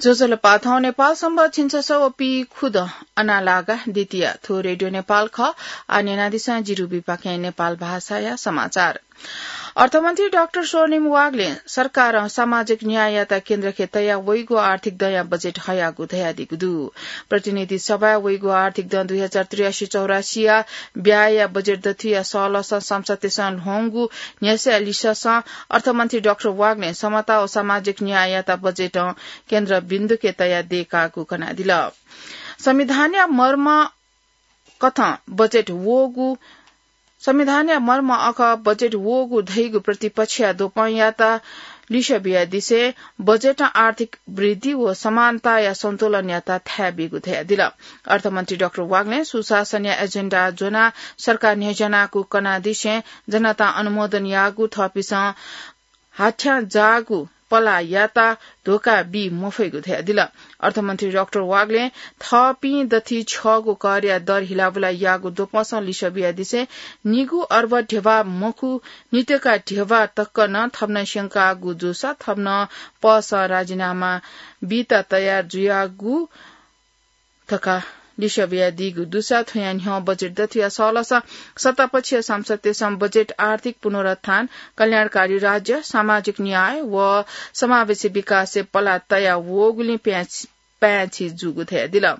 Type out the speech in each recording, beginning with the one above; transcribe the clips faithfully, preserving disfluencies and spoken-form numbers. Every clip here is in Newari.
ज्वजलपा, थौं नेपाल संवत् झिंछसः व पीखुदँ अनालागा द्वितीया। थ्व रेडियो नेपाल खः। आः न्यनादिसँ जिरुबिपाखें नेपाल भाषाया समाचार। अर्थमन्त्री डाक्टर स्वर्णिम वाग्लें सरकारं सामाजिक न्याययात केन्द्रखे तयाः वइगु आर्थिक दँया बजेट हयागु धयादीगु दु। प्रतिनिधि सभाय् वइगु आर्थिक दँ दुई हजार त्रियासी चौरासीया ब्यायया बजेट दथुया सहलसं सांसदतय्सं ल्ह्वंगु न्ह्यसः लिससं अर्थमन्त्री डाक्टर वाग्लें समता व सामाजिक न्याययात बजेटं केन्द्रबिन्दुखे तयाः दयेकागु कनादिल। संविधानया मर्म कथं बजेट वःगु, संविधानया मर्म अखः बजेट वःगु धइगु प्रतिपक्षया द्वपंयात लिसः बियादिसें बजेटं आर्थिक वृद्धि व समानताया सन्तुलनयात थाय् बीगु धयादिल। अर्थमन्त्री डाक्टर वाग्लें सुशासनया एजेन्डा ज्वनाः सरकार न्ह्यज्यानागु कनादिसें जनतां अनुमोदन याःगु थःपिन्सं हाथ्यां जाःगु पलाः यात धोखा बी मफइगु धयादिल। अर्थमन्त्री डाक्टर वाग्लें थःपिं दथुइ छ्यःगु करया दर हिलाबुला याःगु द्वपंसं लिसः बियादिसें निगू अर्ब ध्यबा मखु, नितका ध्यबा तक नं थप नं स्यंकागु जूसा थप नं पसं राजीनामा बीत तयार जुयागु धकाः लिसः बियादीगु दुसा थुया न्ह्यः बजेट दथुया सहलसं सत्तापक्षीय सांसदतय्सं बजेट आर्थिक पुनरुत्थान, कल्याणकारी राज्य, सामाजिक न्याय व समावेशी विकासय् पलाः तया वःगुलिं प्यां-, प्याय्छि जूगु धयादिल।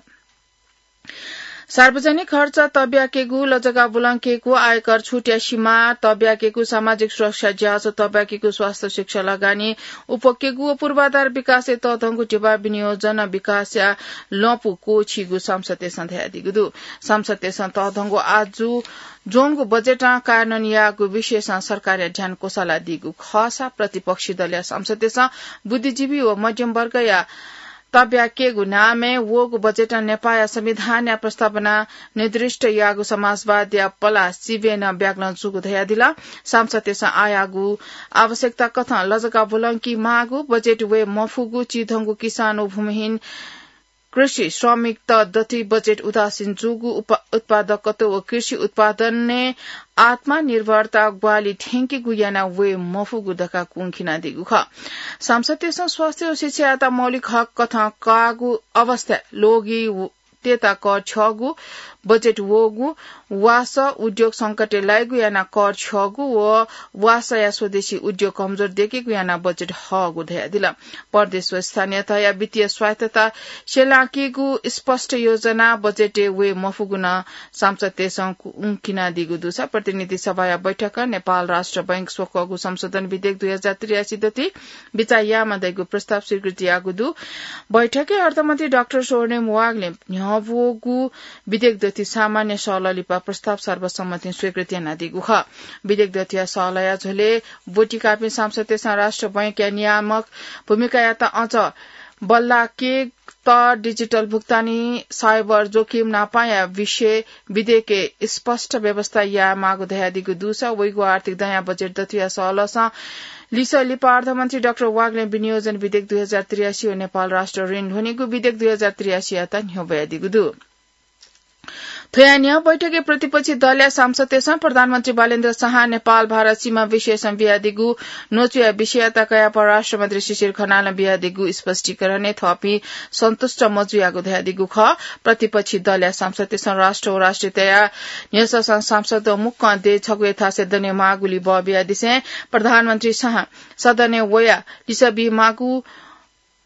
सार्वजनिक खर्च तब्याकेगु, लजगाः बुलंकेगु, आयकर छुटया सीमा तब्याकेगु, सामाजिक सुरक्षा ज्याझ्वः तब्याकेगु, स्वास्थ्य शिक्षा लगानी उपकेगु व पूर्वाधार विकासय् तःधंगु ध्यबा विनियोजन विकासया लँपु क्वःछीगु सांसदतय्सं धयादीगु दु। सांसदतय्सं तःधंगु आजु ज्वंगु बजेटं कार्यान्वयन याःगु विषयसं सरकारया ध्यान क्वसालादीगु खःसा प्रतिपक्षी दलया सांसदतय्सं बुद्धिजीवी व मध्यम वर्गया तब्याकेगु नामय् वःगु बजेटं नेपाःया संविधानया प्रस्तावना निर्दिष्ट याःगु समाजवादया पलाः सिबें नं ब्यागलं जूगु धयादिल। सांसदतय्सं आःयागु आवश्यकता कथं लजगाः बुलंकी माःगु, बजेट वये मफुगु, चिधंगु किसान व भूमिहीन कृषि श्रमिकत दथुइ बजेट उदासीन जूगु, उप-, उत्पादकत्व व कृषि उत्पादनय् आत्मनिर्भरता ग्वाहालि थ्यंकेगु याना वये मफुगु धकाः कुंखिनादीगु खः। सांसदतय्सं स्वास्थ्य व शिक्षायात मौलिक हक कथं काःगु अवस्था लोगी व-, तेता कर छ्यःगु, बजेट वःगु, वासः उद्योग संकटय् लाइगु याना कर छ्यःगु व वासःया स्वदेशी उद्योग कमजोर देकेगु याना बजेट हःगु धयादिल। प्रदेश व स्थानीय तहया वित्तीय स्वायत्तता स्यलाकीगु स्पष्ट योजना बजेटय् वये मफुगु नं सांसदतय्सं कुंखिनादीगु दुसा प्रतिनिधि सभाया बैठकं नेपाल राष्ट्र बैंक स्वक्वःगु संशोधन विधेयक दुई हजार त्रियासी दथुइ बिचाः यायेमाः धइगु प्रस्ताव स्वीकृति याःगु दु। बैठकय् अर्थमन्त्री डाक्टर स्वर्णिम वाग्लें न्ह्यब्वःगु विधेयक दथुइ सामान्य सहलह लिपा प्रस्ताव सर्वसम्मतिं स्वीकृति यानादीगु खः। विधेयक दथुया सहलहया झ्वलय् ब्वति काःपिं सांसदतय्सं राष्ट्र बैंकया नियामक भूमिकायात अझ बल्लाकेत, डिजिटल भुक्तानी, साइबर जोखिम नापंया विषय विधेयकय् स्पष्ट व्यवस्था यायेमाःगु धयादीगु दुसा वइगु आर्थिक दँया बजेट दथुया सहलसं लिसः लिपा अर्थमन्त्री डाक्टर वाग्लें विनियोजन विधेयक दुई हजार त्रियासी व नेपाल राष्ट्र ऋण ल्ह्वनीगु विधेयक दुई हजार त्रियासीयात न्ह्यब्वयादीगु दु। थ्वया न्ह्यः बैठकय् प्रतिपक्षी दलया सांसदतय्सं प्रधानमन्त्री बालेन्द्र शाहं नेपाल भारत सीमा विषयसं बियादीगु न्वचुया विषययात कयाः परराष्ट्र मन्त्री शिशिर खनालं बियादीगु स्पष्टीकरणय् थःपिं सन्तुष्ट मजुयागु धयादीगु खः। प्रतिपक्षी दलया सांसदतय्सं राष्ट्र व राष्ट्रियताया न्ह्यससं सांसदत मुक्कं देय् छगू थासय् दनेमाःगुलिइ बः बियादिसें प्रधानमन्त्री शाहं सदनय् वयाः लिसः बीमाःगु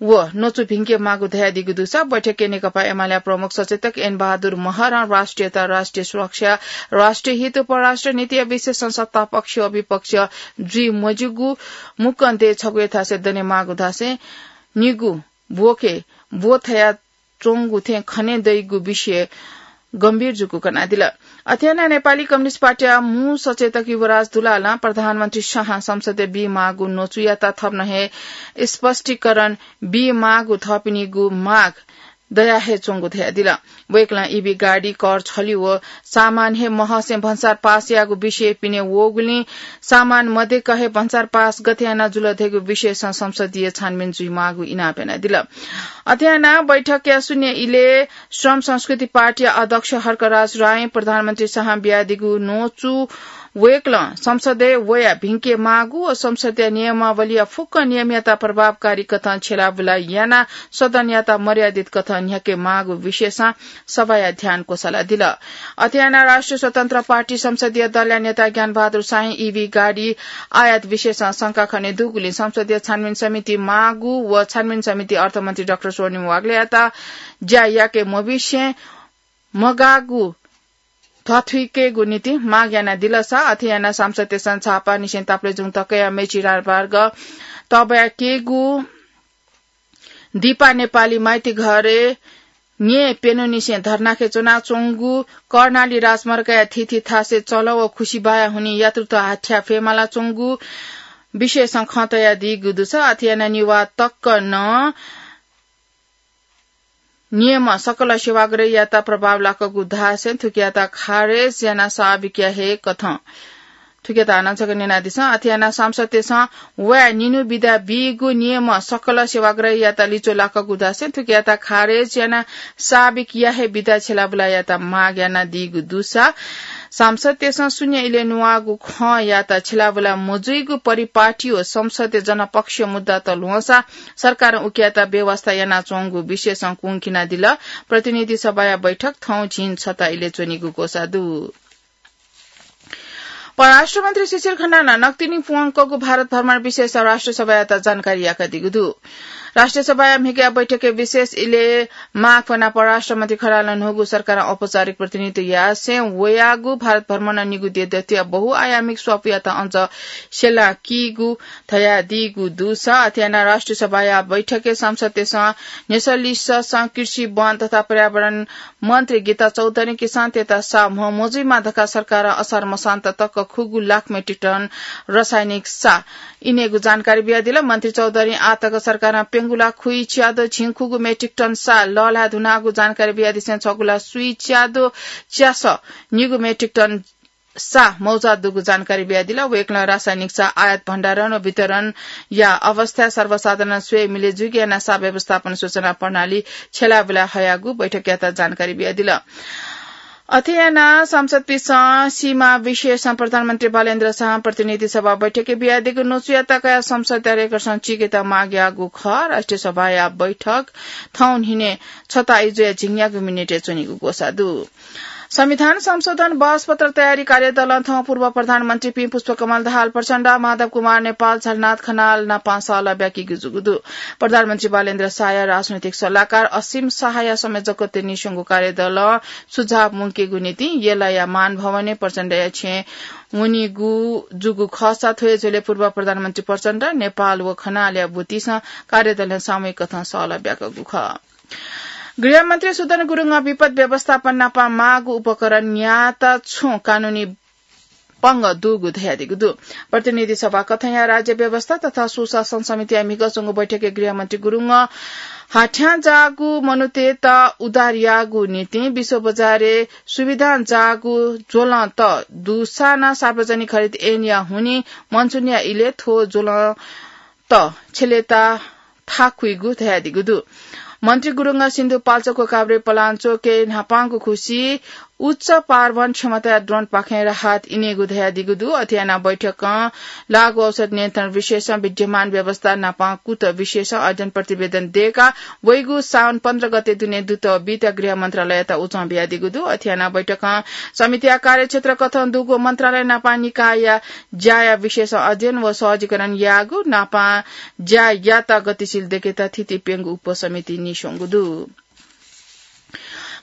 व न्वचु भिंकेमाःगु धयादीगु दुसा बैठकय् नेकपा एमालेया प्रमुख सचेतक एन बहादुर महरं राष्ट्रियता, राष्ट्रिय सुरक्षा, राष्ट्रिय हित व परराष्ट्र नीतिया विषयसं सत्तापक्ष व विपक्ष जुइ मज्यूगु मुक्कं देय् छगू थासय् दनेमाःगु धासें निगू ब्वखे ब्वथया च्वंगु थें खने दइगु विषय गम्भीर जूगु कनादिल। अथे यानाः नेपाली कम्युनिस्ट पार्टीया मू सचेतक युवराज दुलालं प्रधानमन्त्री शाहं संसदय् बीमाःगु न्वचुयात थप नं हे स्पष्टीकरण बीमाःगु थःपिनिगु माग दया हे च्वंगु धयादिल। वय्कलं ईभी गाडी, कर छल्यु व सामान हे महसें भन्सार पास याःगु विषय पिने वःगुलिं सामान मदेक हे भन्सार पास गथे यानाः जुल धइगु विषयसं संसदीय छानबिन जुइमाःगु इनाप यानादिल। अथे यानाः बैठकया शून्य इलय् श्रम संस्कृति पार्टीया अध्यक्ष हर्कराज रायं प्रधानमन्त्री शाहं बियादीगु न्वचु वय्कलं संसदय् वयाः भिंके माःगु व संसदीय नियमावलीया फुक्क नियमयात प्रभावकारी कथं छ्यलाबुला यानाः सदनयात मर्यादित कथं न्ह्याके माःगु विषयसं सभाया ध्यान क्वसाला दिल। अथे यानाः राष्ट्रिय स्वतन्त्र पार्टी संसदीय दलया नेता ज्ञानबहादुर शाहं ईभी गाडी आयात विषयसं शंका खने दुगुलिं संसदीय छानबिन समिति माःगु व छानबिन समिति अर्थमन्त्री डाक्टर स्वर्णिम वाग्लेयात ज्या याके मबिसें मगाःगु धथुइकेगु निंतिं माग यानादिलसा, अथे यानाः सांसदतय्सं झापांनिसें ताप्लेजुङ तकया मेची राजमार्ग तबयाकेगु दिपा नेपाली माइतीघरय् न्ये प्यन्हुनिसें धर्नाखे च्वनाच्वंगु, कर्णाली राजमार्गया थीथी थासय् चलं व खुसिबाया हुनिं यात्रुत हाथ्या फयेमालाच्वंगु विषयसं खँ तयादीगु दुसा, अथे यानाः निवाः तक नं नियम सकल सेवाग्रहीयात प्रभाव लाकूगु धासें थुकियात खारेज यानाः साबिक याये कथं थुकियात हानं छकः न्यनादिसँ। अथे यानाः सांसदतय्सं वया निन्हु बिदा बीगु नियम सकल सेवाग्रहीयात लिच्वः लाकूगु धासें थुकियात खारेज यानाः साबिक याये बिदा छ्यलाबुला यायेत माग यानादीगु दुसा, सांसदतय्सं शून्य इलय् न्ववाःगु खँयात छ्यलाबुला मजुइगु परिपाटी व संसदय् जनपक्षीय मुद्दात ल्ह्वंसा सरकारं उकियात व्यवस्था यानाच्वंगु विषयसं कुंखिनादिल। प्रतिनिधि सभाया बैठक थौं झिंछता इलय् च्वनीगु ग्वसाः दु। परराष्ट्र मन्त्री शिशिर खनालं नकतिनि वंकूगु भारत भ्रमण विषयसं राष्ट्रिय सभायात जानकारी याकादीगु दु। राष्ट्रिय सभाया म्हिगःया बैठकय् विशेष इलय् माग फ्वनाः परराष्ट्र मन्त्री खनालं न्हूगु सरकारं औपचारिक प्रतिनिधित्व यासें वयागु भारत भ्रमणं निगू देशया बहुआयामिक स्वापूयात अझ स्यलाकीगु धयादीगु दुसा, अथे यानाः राष्ट्रिय सभाया बैठकय् सांसदतय्सं न्ह्यसः लिसःसं कृषि, वन तथा पर्यावरण मन्त्री गीता चौधरीं किसानतय्त साः म्ह मजुइमा धकाः सरकारं असार मसान्त तक खुगू लाख मेट्रिक टन रसायनिक साः इनेगु जानकारी बियादिल। मन्त्री चौधरीं आःतक सरकारं प्यंगू लाख खुइच्याद्वः झिंखुगू मेट्रिक टन साः लःल्हाये धुनागु जानकारी बियादिसें छगू लाख सुइच्याद्वः च्यासः निगू मेट्रिक टन साः मौजात दुगु जानकारी बियादिल। वय्कलं रासायनिक साः आयात भण्डारण व वितरणया अवस्था सर्वसाधारण स्वये मिले जुइगु यानाः साः व्यवस्थापन सूचना प्रणाली छ्यलाबुला हयागु बैठकयात जानकारी बियादिल। अथे यानाः सांसदपिसं सीमा विषयसं प्रधानमन्त्री बालेन्द्र शाहं प्रतिनिधि सभा बैठकय् बियादीगु न्वचुयात कयाः संसदया रेकर्डसं चीकेत माग याःगु खः। राष्ट्रिय सभाया बैठक थौं न्हिनय् छता इजुया झिंन्यागू मिनेटय् च्वनीगु ग्वसाः दु। संविधान संशोधन बहसपत्र तयारी कार्यदलं थौं पूर्व प्रधानमन्त्रीपिं पुष्पकमल दाहाल प्रचण्ड, माधव कुमार नेपाल, झलनाथ खनाल नाप सहलह ब्याकीगु जूगु दु। प्रधानमन्त्री बालेन्द्र शाहया राजनैतिक सल्लाहकार असीम शाहया संयोजकत्वय् नीस्वंगु कार्यदलं सुझाव मुंकेगु निंतिं यलया मान भवनय् प्रचण्डया छेँय् वनीगु जूगु खःसा थ्व हे झ्वलय् पूर्व प्रधानमन्त्री प्रचण्ड, नेपाल व खनालया ब्वतिसं कार्यदलं सामूहिक कथं सहलह ब्याकूगु खः। गृहमन्त्री सुदन गुरुङं विपद व्यवस्थापन नाप माःगु उपकरण न्यायेत छुं कानूनी पंगः दुगु धयादीगु दु। प्रतिनिधि सभा कथंया राज्य व्यवस्था तथा सुशासन समितिया म्हिगः च्वंगु बैठकय् गृहमन्त्री गुरुङं हाथ्यां जाःगु मनूतय्त उद्धार याःगु निंतिं विश्व बजारय् सुविधां जाःगु ज्वलंत दुसा नं सार्वजनिक हरित ऐनया हुनिं मनसुनया इलय् थ्व ज्वलंत छ्यलेत थाकुइगु धयादीगु दु। मन्त्री गुरुङं सिन्धुपाल्चोक, काभ्रे पलाञ्चोकय् न्हापांगु खुसि उच्च पारवहन क्षमताया ड्रोनपाखें राहत इनेगु धयादीगु दु। अथे यानाः बैठकं लागू औषध नियन्त्रण विषयसं विद्यमान व्यवस्था नाप कुत विषयसं अध्ययन प्रतिवेदन दयेकाः वइगु साउन पन्ध्र गते दुने दुत बीत गृह मन्त्रालययात उजं बियादीगु दु। अथे यानाः बैठकं समितिया कार्यक्षेत्र कथं दुगु मन्त्रालय नाप निकायया ज्याया विषयसं अध्ययन व सहजीकरण याःगु नाप ज्यायात गतिशील दयेकेत थीथी प्यंगू उपसमिति नीस्वंगु दु।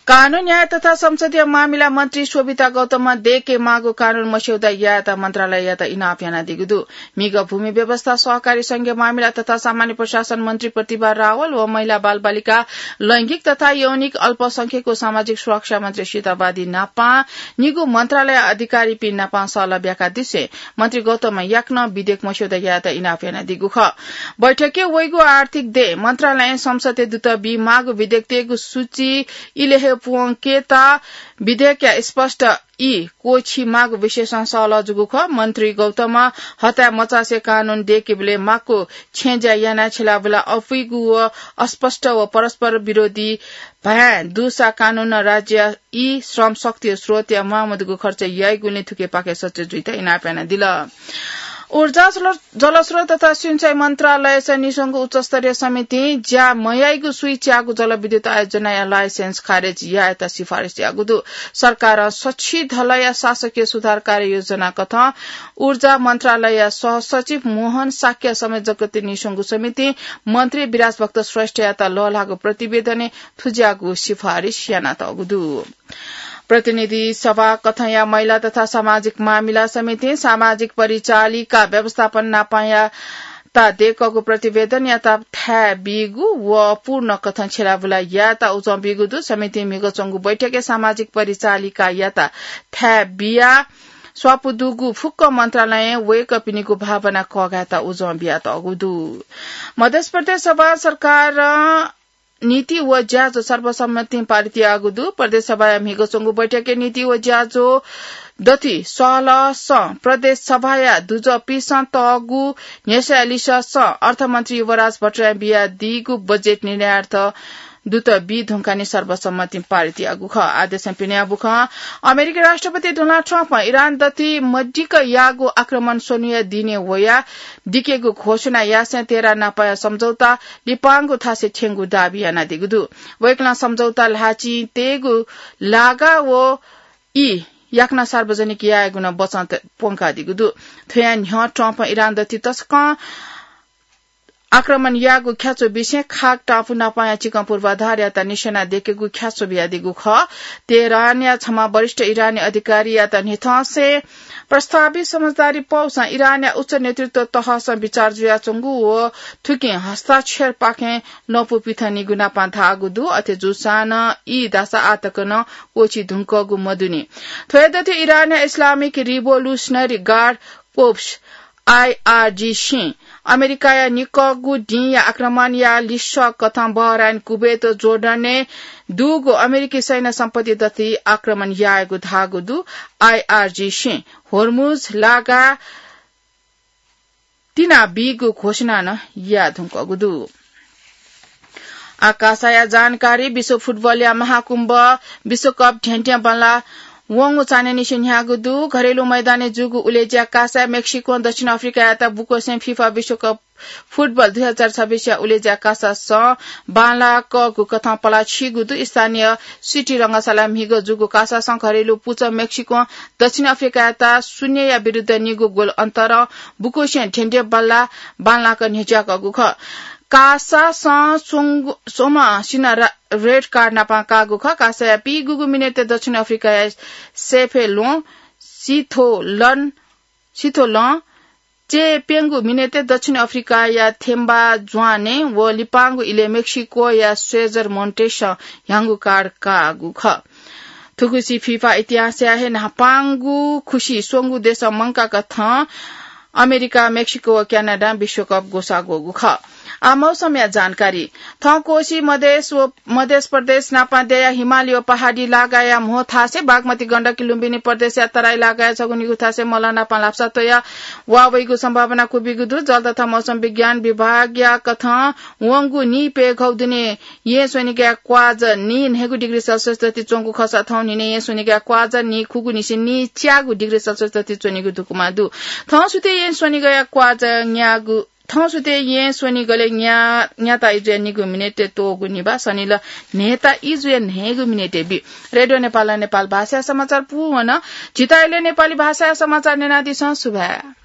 कानून, न्याय तथा संसदीय मामिला मन्त्री शोभिता गौतमं दयेके माःगु कानून मस्यौदा यायेत मन्त्रालययात इनाप यानादीगु दु। म्हिगः भूमि व्यवस्था, सहकारी संघीय मामिला तथा सामान्य प्रशासन मन्त्री प्रतिभा रावल व महिला, बालबालिका, लैंगिक तथा यौनिक अल्पसंख्यक व सामाजिक सुरक्षा मन्त्री सीता वादी नाप निगू मन्त्रालय अधिकारीपिं नाप सहलह ब्याकादिसें मन्त्री गौतमं याकनं विधेयक मस्यौदा यायेत इनाप यानादीगु खः। बैठकय् वइगु आर्थिक देय् मन्त्रालयं संसदय् दुत बी माःगु विधेयकतय्गु सूची इलय् हे पुवंकेत विधेयकया स्पष्ट ई क्वःछी माःगु विषयसं सहलह जूगु खः। मन्त्री गौतमं हताय् मचासे कानून दय्‌केबलय् माक्व छेँय् ज्या यानाः छ्यलाबुला अपुइगु व अस्पष्ट व परस्पर विरोधी भाय् दुसा कानूनं राज्य ई श्रम शक्ति व स्रोतया म्वाःमदुगु खर्च याइगुलिं थुकिपाखे सचेत जुइत इनाप यानादिल। ऊर्जा, जल-, जलस्रोत तथा सिँचाइ मन्त्रालयस निस्वंगु उच्चस्तरीय समितिं ज्या मयाइगु सुइच्याःगु जलविद्युत आयोजनाया लाइसेन्स खारेज यायेत सिफारिस याःगु दु। सरकारं सछि धलया शासकीय सुधार कार्ययोजना कथं ऊर्जा मन्त्रालयया सहसचिव मोहन शाक्य संयोजकत्वय् निस्वंगु समितिं मन्त्री विराज भक्त श्रेष्ठयात लःल्हाःगु प्रतिवेदनय् थुज्याःगु सिफारिस यानातःगु दु। प्रतिनिधि सभा कथंया महिला तथा सामाजिक मामिला समितिं सामाजिक परिचालिका व्यवस्थापन नापंयात दय्‌कःगु प्रतिवेदनयात थाय् बीगु व पूर्ण कथं छ्यलाबुला यायेत उजं बीगु दु। समितिं म्हिगः च्वंगु बैठकय् सामाजिक परिचालिकायात थाय् बियाः स्वापू दुगु फुक्क मन्त्रालयं वय्‌कःपिनिगु भावना कःघायेत उजं बियातःगु दु। मध्य प्रदेश सभा सरकारं नीति व ज्याझ्वः सर्वसम्मतिं पारित याःगु दु। प्रदेश सभाया म्हिगः च्वंगु बैठकय् नीति व ज्याझ्वः दथुइ सहलहसं प्रदेश सभाया दुजःपिसं तःगु न्ह्यसःया लिसःसं अर्थमन्त्री युवराज भट्टराईं बियादीगु बजेट निर्णयार्थ दुत बी धुंकाः नं सर्वसम्मतिं पारित याःगु खः। आदेशं पिने याःगु खः। अमेरिकी राष्ट्रपति डोनाल्ड ट्रम्पं इरान दथुइ मदिक्क याःगु आक्रमण स्वन्हुया दिनय् वयाः दिकेगु घोषणा यासें तेहरान नापंया सम्झौता लिपांगु थासय् थ्यंगु दाबी यानादीगु दु। वय्‌कलं सम्झौता ल्हाःचिं तयेगु लागा व ई याकनं सार्वजनिक यायेगु नं बचं त-, प्वंकादीगु दु। थ्वया न्ह्यः ट्रम्पं इरान दथुइ तसकं आक्रमण याःगु ख्याच्वः बिसें खाक टापु नापंया चिकं पूर्वाधारयात निशाना दय्‌केगु ख्याच्वः बियादीगु खः। तेहरानया छम्ह वरिष्ठ इरानी अधिकारीयात न्ह्यथंसें प्रस्तावित समझदारी पौसं इरानया उच्च नेतृत्व तहसं बिचाः जुयाच्वंगु व थुकिं हस्ताक्षरपाखें लँपु पिथंनिगु नापं धाःगु दु। अथे जूसां नं ई धाःसा आः तक नं क्वःछी धुंकूगु मदुनि। थ्वया दथुइ इरानया इस्लामिक रिभोल्युसनरी गार्ड कोप्स, आइआरजीसीं अमेरिकाया निकःगु दिंया आक्रमणया लिसः कथं बहराइन, कुवेत व जोर्डनय् दुगु अमेरिकी सैन्य सम्पत्ति दथुइ आक्रमण यायेगु धाःगु दु। आइआरजीसीं होर्मुज लागा तिनाबीगु घोषणा नं याये धुंकूगु दु। आकाशया जानकारी। विश्व फुटबलया महाकुम्भ विश्वकप ध्यंध्यं बांलाः वंगु चान्हय्‌निसें न्ह्याःगु दु। घरेलु मैदानय् जूगु उलेज्या कासाय् मेक्सिकों दक्षिण अफ्रिकायात बुक्वसें फिफा विश्वकप फुटबल दुई हजार छब्बीसया उलेज्या कासासं बांलाकःगु कथं पलाः छीगु दु। स्थानीय सिटी रंगशालाय् म्हिगः जूगु कासासं घरेलु पुचः मेक्सिकों दक्षिण अफ्रिकायात शून्यया विरुद्ध निगू गोल अन्तरं बुक्वसें ध्यंध्यं बांलाः बांलाक न्ह्यज्याकःगु खः। कासासं स्वंगु, स्वम्ह सिन्हः रा-, रेड कार्ड नापं काःगु खः। कासाया पीगूगु मिनेटय् दक्षिण अफ्रिकाया सेफेलों सिथोलन, सिथोलं चय्‌प्यंगू मिनेटय् दक्षिण अफ्रिकाया थेम्बा ज्वाने व लिपांगु इलय् मेक्सिकोया स्वेजर मोन्टेसं ह्याउँगु कार्ड काःगु खः। थुगुसी फिफा इतिहासया हे न्हापांगु खुसि स्वंगू देशं मंकाकथं अमेरिका, मेक्सिको व क्यानाडां विश्वकप ग्वसाः ग्वःगु खः। आ, मौसमया जानकारी। थौं कोशी, मधेस व मधेस प्रदेश नापं दयाः हिमाली व पहाडी लागाया म्हो थासय् बागमती, गण्डकी, लुम्बिनी प्रदेशया तराई लागाया छगू निगू थासय् मलं नापं लापसा त्वयाः वा वइगु सम्भावना क्वबिगु दु। जल तथा मौसम विज्ञान विभागया कथं वंगु नीप्यघौ दुने येँ स्वनिगःया क्वाःजः नीन्हय्‌गू डिग्री सेल्सियस दथुइ च्वंगु खःसा थौं न्हिनय् येँ स्वनिगःया क्वाःजः नीखुगूनिसें नीच्यागू डिग्री सेल्सियस दथुइ च्वनीगु धुकुमा दु। थौं सुथय् येँ स्वनिगःया क्वाःजः न्यागू थौं सुथय् येँ स्वनिगलय् न्या-, न्याता इजुया निगू मिनेटय् त्वःगु निभाः सनिलः न्हय्‌ता इजुया न्हय्‌गू मिनेटय् बी। रेडियो नेपालं नेपाल भाषाया समाचार पूवन। झीत अले नेपाली भाषाया समाचार न्यनादिसँ। सुभाय्।